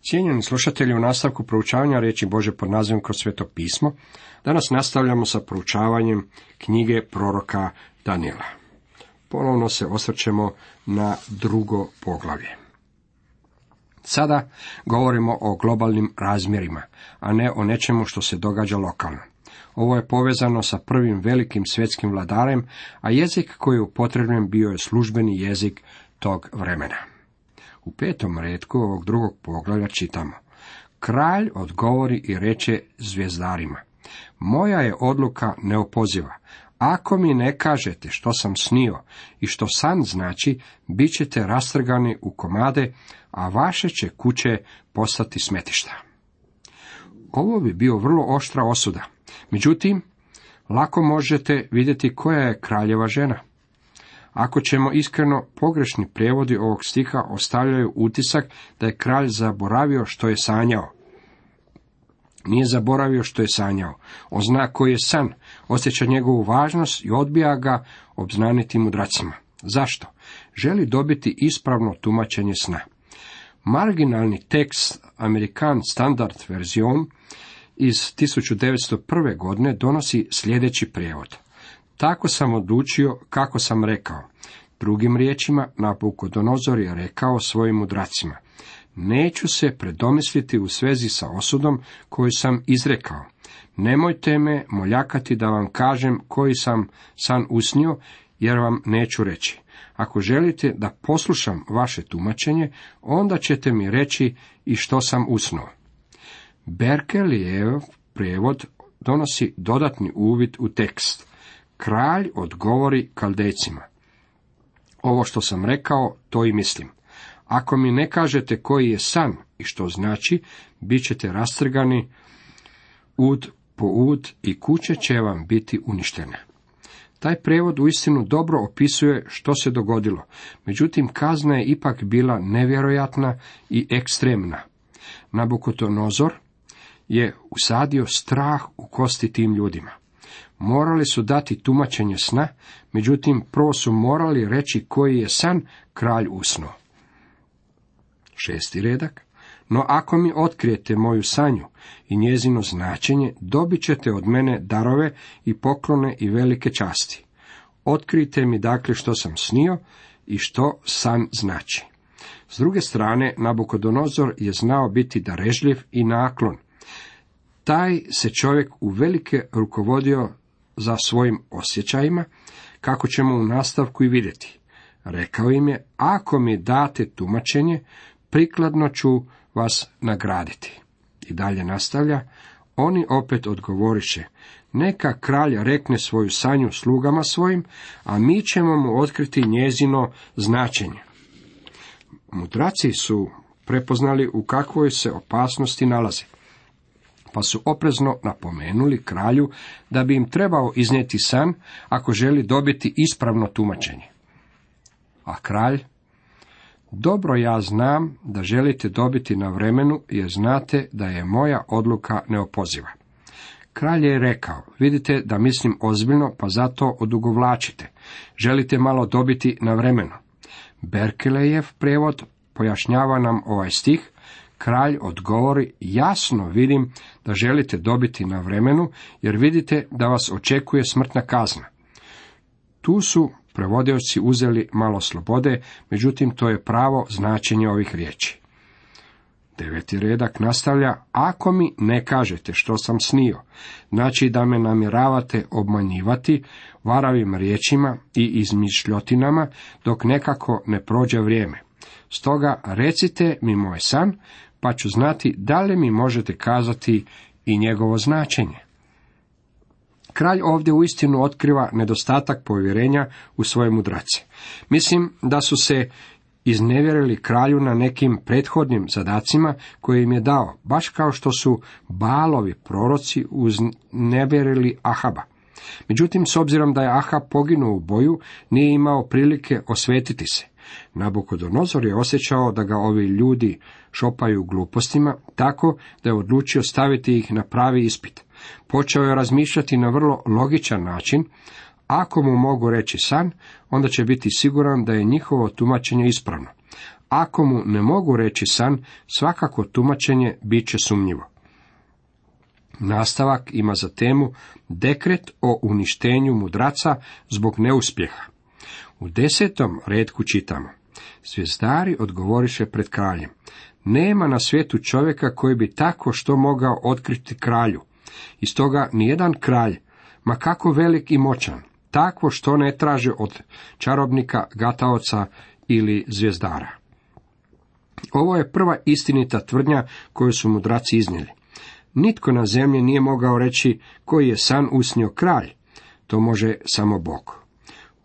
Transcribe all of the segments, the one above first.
Cijenjeni slušatelji, u nastavku proučavanja riječi Božje pod nazivom Kroz sveto pismo, danas nastavljamo sa proučavanjem knjige proroka Danijela. Ponovno se osvrćemo na drugo poglavlje. Sada govorimo o globalnim razmjerima, a ne o nečemu što se događa lokalno. Ovo je povezano sa prvim velikim svjetskim vladarem, a jezik koji je upotrebljen bio je službeni jezik tog vremena. U 5. retku ovog drugog poglavlja čitamo: Kralj odgovori i reče zvjezdarima: moja je odluka neopoziva. Ako mi ne kažete što sam snio i što san znači, bit ćete rastrgani u komade, a vaše će kuće postati smetišta. Ovo bi bio vrlo oštra osuda. Međutim, lako možete vidjeti koja je kraljeva žena. Ako ćemo iskreno, pogrešni prijevodi ovog stiha ostavljaju utisak da je kralj zaboravio što je sanjao. Nije zaboravio što je sanjao. On zna koji je san, osjeća njegovu važnost i odbija ga obznaniti mudracima. Zašto? Želi dobiti ispravno tumačenje sna. Marginalni tekst American Standard Version iz 1901. godine donosi sljedeći prijevod: tako sam odlučio kako sam rekao. Drugim riječima, Nabukodonozor je rekao svojim mudracima: neću se predomisliti u svezi sa osudom koju sam izrekao. Nemojte me moljakati da vam kažem koji sam san usnio, jer vam neću reći. Ako želite da poslušam vaše tumačenje, onda ćete mi reći i što sam usnuo. Berkelijev prijevod donosi dodatni uvid u tekst. Kralj odgovori Kaldejcima: ovo što sam rekao, to i mislim. Ako mi ne kažete koji je san i što znači, bit ćete rastrgani ud po ud i kuće će vam biti uništene. Taj prijevod uistinu dobro opisuje što se dogodilo, međutim kazna je ipak bila nevjerojatna i ekstremna. Nabukodonozor je usadio strah u kosti tim ljudima. Morali su dati tumačenje sna, međutim prvo su morali reći koji je san kralj usnuo. 6. redak. No ako mi otkrijete moju sanju i njezino značenje, dobit ćete od mene darove i poklone i velike časti. Otkrijte mi dakle što sam snio i što san znači. S druge strane, Nabukodonozor je znao biti darežljiv i naklon. Taj se čovjek uvelike rukovodio za svojim osjećajima, kako ćemo u nastavku i vidjeti. Rekao im je: ako mi date tumačenje, prikladno ću vas nagraditi. I dalje nastavlja: oni opet odgovoriše: neka kralj rekne svoju sanju slugama svojim, a mi ćemo mu otkriti njezino značenje. Mudraci su prepoznali u kakvoj se opasnosti nalaze, pa su oprezno napomenuli kralju da bi im trebao iznijeti san ako želi dobiti ispravno tumačenje. A kralj: dobro, ja znam da želite dobiti na vremenu, jer znate da je moja odluka neopoziva. Kralj je rekao: vidite da mislim ozbiljno, pa zato odugovlačite. Želite malo dobiti na vremenu. Berkelejev prijevod pojašnjava nam ovaj stih. Kralj odgovori: jasno vidim da želite dobiti na vremenu, jer vidite da vas očekuje smrtna kazna. Tu su prevodioci uzeli malo slobode, međutim to je pravo značenje ovih riječi. 9. redak nastavlja: ako mi ne kažete što sam snio, znači da me namjeravate obmanjivati varavim riječima i izmišljotinama, dok nekako ne prođe vrijeme. Stoga recite mi moj san, pa ću znati da li mi možete kazati i njegovo značenje. Kralj ovdje uistinu otkriva nedostatak povjerenja u svoje mudrace. Mislim da su se iznevjerili kralju na nekim prethodnim zadacima koje im je dao, baš kao što su Baalovi proroci uznevjerili Ahaba. Međutim, s obzirom da je Ahab poginuo u boju, nije imao prilike osvetiti se. Nabukodonozor je osjećao da ga ovi ljudi šopaju glupostima, tako da je odlučio staviti ih na pravi ispit. Počeo je razmišljati na vrlo logičan način. Ako mu mogu reći san, onda će biti siguran da je njihovo tumačenje ispravno. Ako mu ne mogu reći san, svakako tumačenje bit će sumnjivo. Nastavak ima za temu dekret o uništenju mudraca zbog neuspjeha. U 10. retku čitamo: Zvijezdari odgovoriše pred kraljem: Nema na svijetu čovjeka koji bi tako što mogao otkriti kralju. I stoga nijedan kralj, ma kako velik i moćan, takvo što ne traže od čarobnika, gataoca ili zvijezdara. Ovo je prva istinita tvrdnja koju su mudraci iznijeli. Nitko na zemlji nije mogao reći koji je san usnio kralj. To može samo Bog.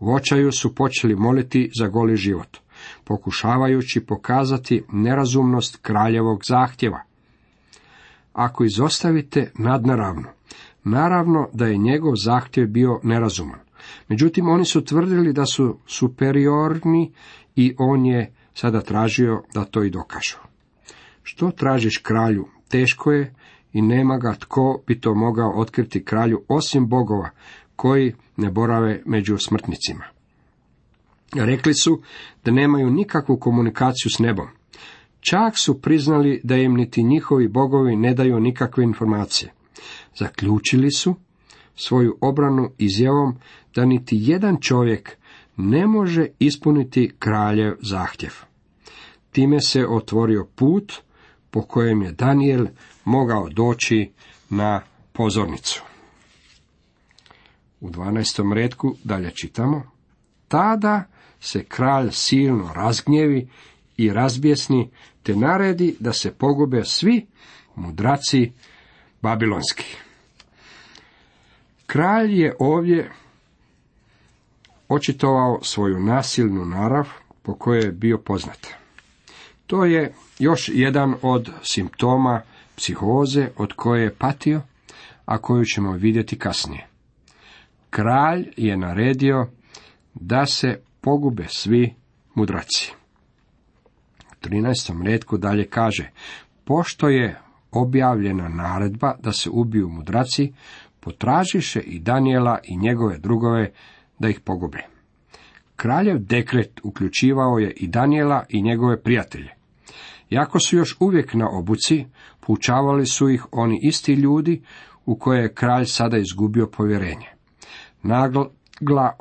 U očaju su počeli moliti za goli život, pokušavajući pokazati nerazumnost kraljevog zahtjeva. Ako izostavite nadnaravno, naravno da je njegov zahtjev bio nerazuman. Međutim, oni su tvrdili da su superiorni i on je sada tražio da to i dokažu. Što tražiš kralju, teško je i nema ga tko bi to mogao otkriti kralju osim bogova koji ne borave među smrtnicima. Rekli su da nemaju nikakvu komunikaciju s nebom. Čak su priznali da im niti njihovi bogovi ne daju nikakve informacije. Zaključili su svoju obranu izjavom da niti jedan čovjek ne može ispuniti kraljev zahtjev. Time se otvorio put po kojem je Danijel mogao doći na pozornicu. U 12. retku dalje čitamo: Tada se kralj silno razgnjevi i razbjesni, te naredi da se pogube svi mudraci babilonski. Kralj je ovdje očitovao svoju nasilnu narav po kojoj je bio poznat. To je još jedan od simptoma psihoze od koje je patio, a koju ćemo vidjeti kasnije. Kralj je naredio da se pogube svi mudraci. U 13. retku dalje kaže: Pošto je objavljena naredba da se ubiju mudraci, potražiše i Danijela i njegove drugove da ih pogube. Kraljev dekret uključivao je i Danijela i njegove prijatelje. Iako su još uvijek na obuci, poučavali su ih oni isti ljudi u koje je kralj sada izgubio povjerenje. Nagla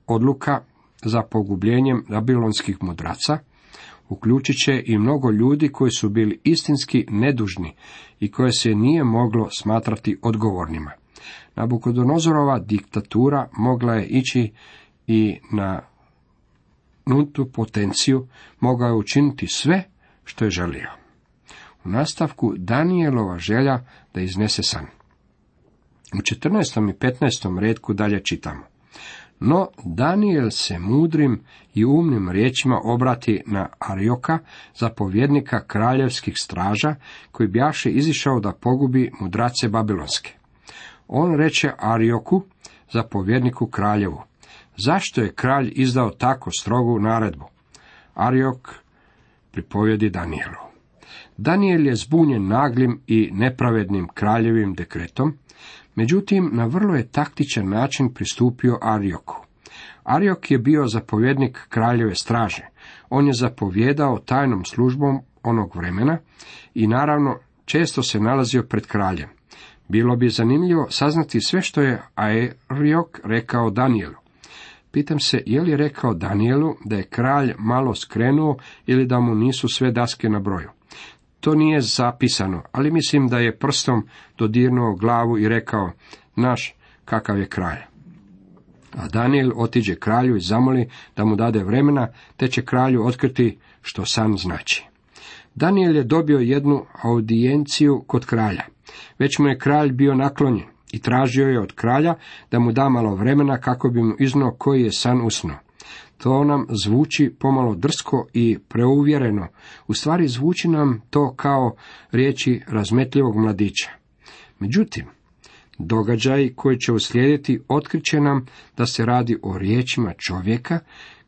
odluka za pogubljenjem babilonskih mudraca uključit će i mnogo ljudi koji su bili istinski nedužni i koje se nije moglo smatrati odgovornima. Nabukodonozorova diktatura mogla je ići i na nultu potenciju, mogao je učiniti sve što je želio. U nastavku Danijelova želja da iznese san. U 14. i 15. retku dalje čitamo: No Danijel se mudrim i umnim riječima obrati na Arioka, zapovjednika kraljevskih straža, koji bjaše izišao da pogubi mudrace babilonske. On reče Arioku, zapovjedniku kraljevu: Zašto je kralj izdao tako strogu naredbu? Ariok pripovjedi Danijelu. Danijel je zbunjen naglim i nepravednim kraljevim dekretom, međutim na vrlo je taktičan način pristupio Arioku. Ariok je bio zapovjednik kraljeve straže. On je zapovjedao tajnom službom onog vremena i naravno često se nalazio pred kraljem. Bilo bi zanimljivo saznati sve što je Ariok rekao Danijelu. Pitam se, je li rekao Danijelu da je kralj malo skrenuo ili da mu nisu sve daske na broju. To nije zapisano, ali mislim da je prstom dodirnuo glavu i rekao: Naš, kakav je kralj. A Danijel otiđe kralju i zamoli da mu dade vremena, te će kralju otkriti što san znači. Danijel je dobio jednu audijenciju kod kralja. Već mu je kralj bio naklonjen i tražio je od kralja da mu da malo vremena kako bi mu iznio koji je san usnuo. To nam zvuči pomalo drsko i preuvjereno. U stvari zvuči nam to kao riječi razmetljivog mladića. Međutim, događaji koji će uslijediti otkriće nam da se radi o riječima čovjeka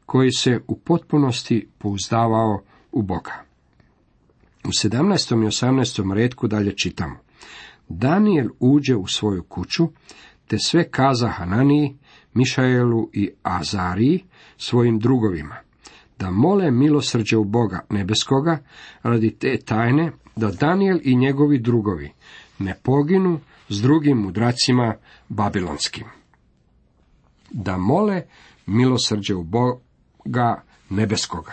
koji se u potpunosti pouzdavao u Boga. U 17. i 18. retku dalje čitamo: Danijel uđe u svoju kuću, te sve kaza Hananiji, Mišaelu i Azariji, svojim drugovima. da mole milosrđe u Boga nebeskoga radi te tajne, da Danijel i njegovi drugovi ne poginu s drugim mudracima babilonskim. Da mole milosrđe u Boga nebeskoga.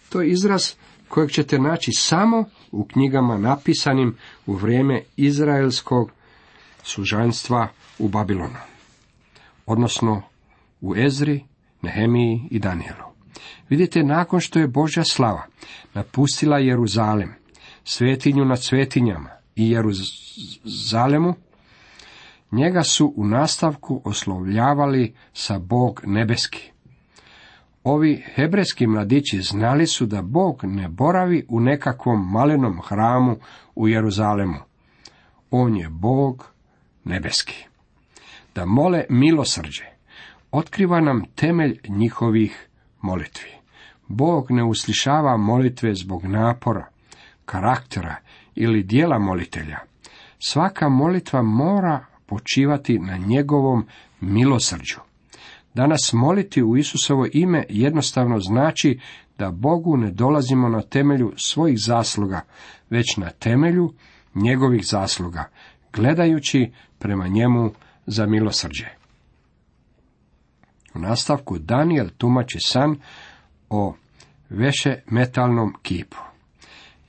To je izraz kojeg ćete naći samo u knjigama napisanim u vrijeme izraelskog sužanstva u Babilonu, odnosno u Ezri, Nehemiji i Danijelu. Vidite, nakon što je Božja slava napustila Jeruzalem, svetinju nad svetinjama i Jeruzalemu, njega su u nastavku oslovljavali sa Bog nebeski. Ovi hebrejski mladići znali su da Bog ne boravi u nekakvom malenom hramu u Jeruzalemu. On je Bog nebeski. Da mole milosrđe otkriva nam temelj njihovih molitvi. Bog ne uslišava molitve zbog napora, karaktera ili dijela molitelja. Svaka molitva mora počivati na njegovom milosrđu. Danas moliti u Isusovo ime jednostavno znači da Bogu ne dolazimo na temelju svojih zasluga, već na temelju njegovih zasluga, gledajući prema njemu za milosrđe. U nastavku Danijel tumači san o vešemetalnom kipu.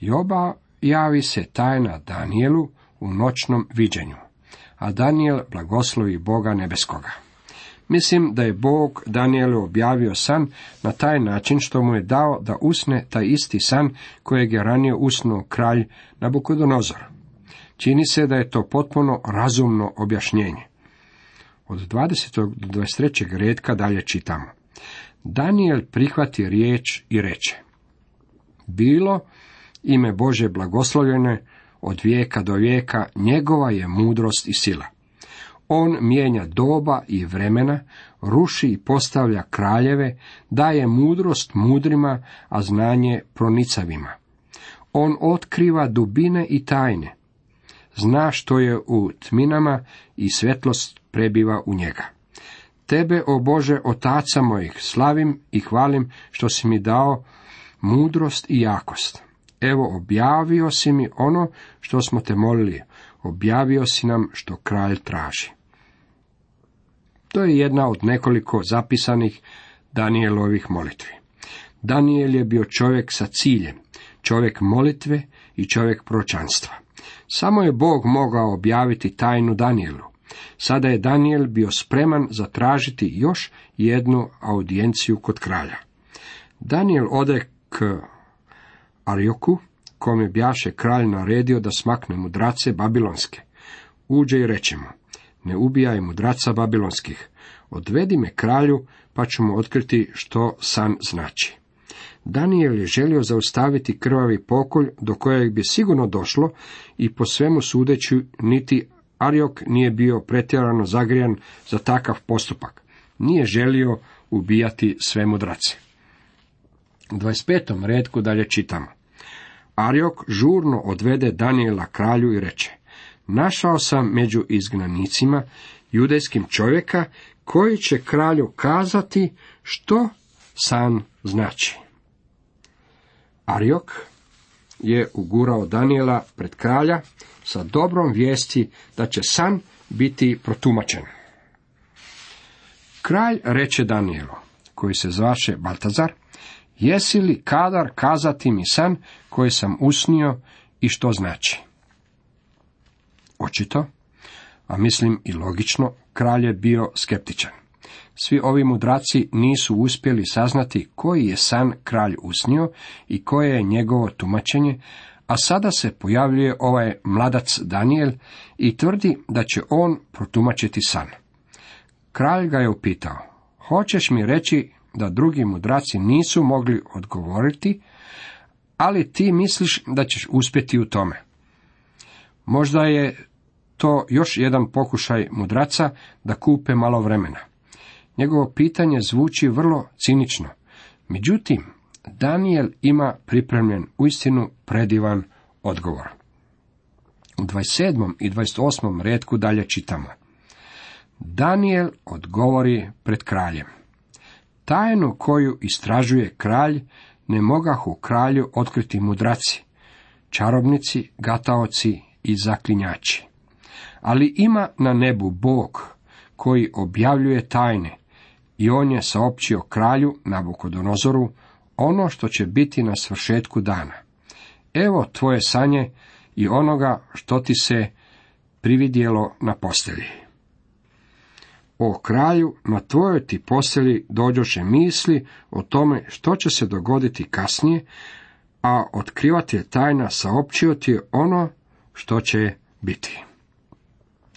I objavi se tajna Danijelu u noćnom viđenju, a Danijel blagoslovi Boga nebeskoga. Mislim da je Bog Danijelu objavio san na taj način što mu je dao da usne taj isti san kojeg je ranije usnuo kralj Nabukodonozor. Čini se da je to potpuno razumno objašnjenje. Od 20. do 23. redka dalje čitamo. Danijel prihvati riječ i reče: bilo ime Bože blagoslovljene od vijeka do vijeka, njegova je mudrost i sila. On mijenja doba i vremena, ruši i postavlja kraljeve, daje mudrost mudrima, a znanje pronicavima. On otkriva dubine i tajne. Zna što je u tminama i svjetlost prebiva u njega. Tebe, o Bože, otaca mojih, slavim i hvalim što si mi dao mudrost i jakost. Evo, objavio si mi ono što smo te molili, objavio si nam što kralj traži. To je jedna od nekoliko zapisanih Danijelovih molitvi. Danijel je bio čovjek sa ciljem, čovjek molitve i čovjek proročanstva. Samo je Bog mogao objaviti tajnu Danijelu. Sada je Danijel bio spreman zatražiti još jednu audijenciju kod kralja. Danijel ode k Arioku, kome bjaše kralj naredio da smakne mudrace babilonske. Uđe i reče mu: ne ubijaj mudraca babilonskih, odvedi me kralju, pa ću mu otkriti što san znači. Danijel je želio zaustaviti krvavi pokolj do kojeg bi sigurno došlo i po svemu sudeći niti Ariok nije bio pretjerano zagrijan za takav postupak. Nije želio ubijati sve mudrace. U 25. redku dalje čitamo. Ariok žurno odvede Danijela kralju i reče: našao sam među izgnanicima judejskim čovjeka koji će kralju kazati što san znači. Ariok je ugurao Danijela pred kralja sa dobrom vijesti da će san biti protumačen. Kralj reče Danijelu, koji se zvaše Baltazar: jesi li kadar kazati mi san koji sam usnio i što znači? Očito, a mislim i logično, kralj je bio skeptičan. Svi ovi mudraci nisu uspjeli saznati koji je san kralj usnio i koje je njegovo tumačenje, a sada se pojavljuje ovaj mladac Danijel i tvrdi da će on protumačiti san. Kralj ga je upitao: hoćeš mi reći da drugi mudraci nisu mogli odgovoriti, ali ti misliš da ćeš uspjeti u tome? Možda je to još jedan pokušaj mudraca da kupe malo vremena. Njegovo pitanje zvuči vrlo cinično. Međutim, Danijel ima pripremljen uistinu predivan odgovor. U 27. i 28. redku dalje čitamo. Danijel odgovori pred kraljem: Tajnu koju istražuje kralj ne mogahu kralju otkriti mudraci, čarobnici, gataoci i zaklinjači. Ali ima na nebu Bog koji objavljuje tajne i on je saopćio kralju Nabukodonozoru ono što će biti na svršetku dana. Evo tvoje sanje i onoga što ti se prividjelo na postelji. O kralju, na tvojoj ti postelji dođoše misli o tome što će se dogoditi kasnije, a otkrivatelj tajna saopćio ti je ono što će biti.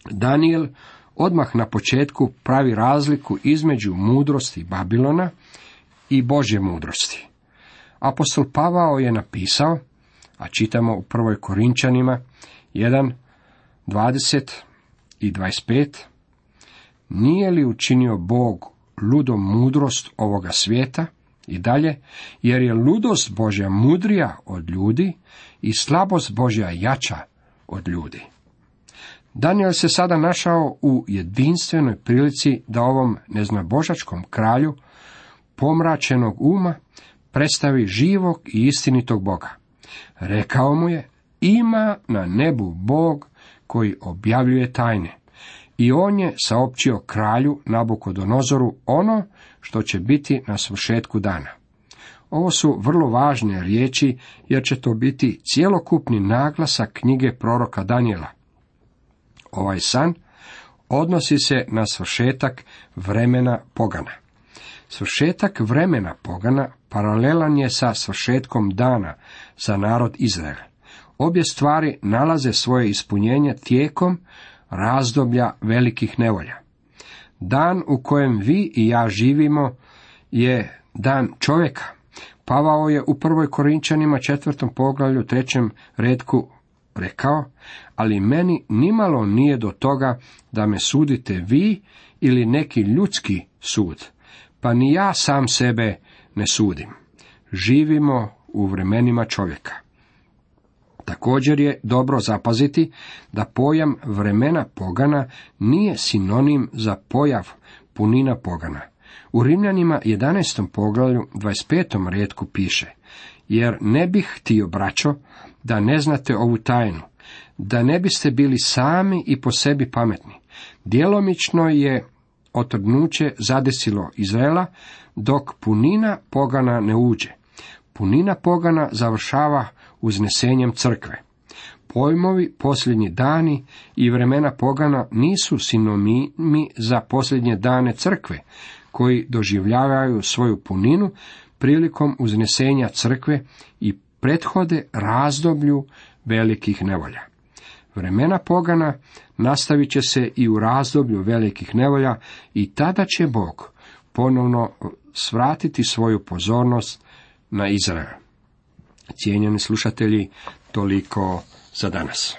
Danijel odmah na početku pravi razliku između mudrosti Babilona i Božje mudrosti. Apostol Pavao je napisao, a čitamo u 1. Korinčanima 1, 20 i 25, nije li učinio Bog ludom mudrost ovoga svijeta i dalje, jer je ludost Božja mudrija od ljudi i slabost Božja jača od ljudi. Danijel se sada našao u jedinstvenoj prilici da ovom neznabožačkom kralju pomračenog uma predstavi živog i istinitog Boga. Rekao mu je, ima na nebu Bog koji objavljuje tajne. I on je saopćio kralju Nabukodonozoru ono što će biti na svršetku dana. Ovo su vrlo važne riječi, jer će to biti cjelokupni naglasak knjige proroka Danijela. Ovaj san odnosi se na svršetak vremena pogana. Svršetak vremena pogana paralelan je sa svršetkom dana za narod Izrael. Obje stvari nalaze svoje ispunjenje tijekom razdoblja velikih nevolja. Dan u kojem vi i ja živimo je dan čovjeka. Pavao je u 1. Korinčanima 4. poglavlju 3. retku rekao, ali meni nimalo nije do toga da me sudite vi ili neki ljudski sud, pa ni ja sam sebe ne sudim. Živimo u vremenima čovjeka. Također je dobro zapaziti da pojam vremena pogana nije sinonim za pojav punina pogana. U Rimljanima 11. poglavlju 25. retku piše, jer ne bih htio, braćo, da ne znate ovu tajnu, da ne biste bili sami i po sebi pametni. Djelomično je otrgnuće zadesilo Izraela, dok punina pogana ne uđe. Punina pogana završava uznesenjem crkve. Pojmovi posljednji dani i vremena pogana nisu sinonimi za posljednje dane crkve, koji doživljavaju svoju puninu prilikom uznesenja crkve i prethode razdoblju velikih nevolja. Vremena pogana nastavit će se i u razdoblju velikih nevolja i tada će Bog ponovno svratiti svoju pozornost na Izrael. Cijenjeni slušatelji, toliko za danas.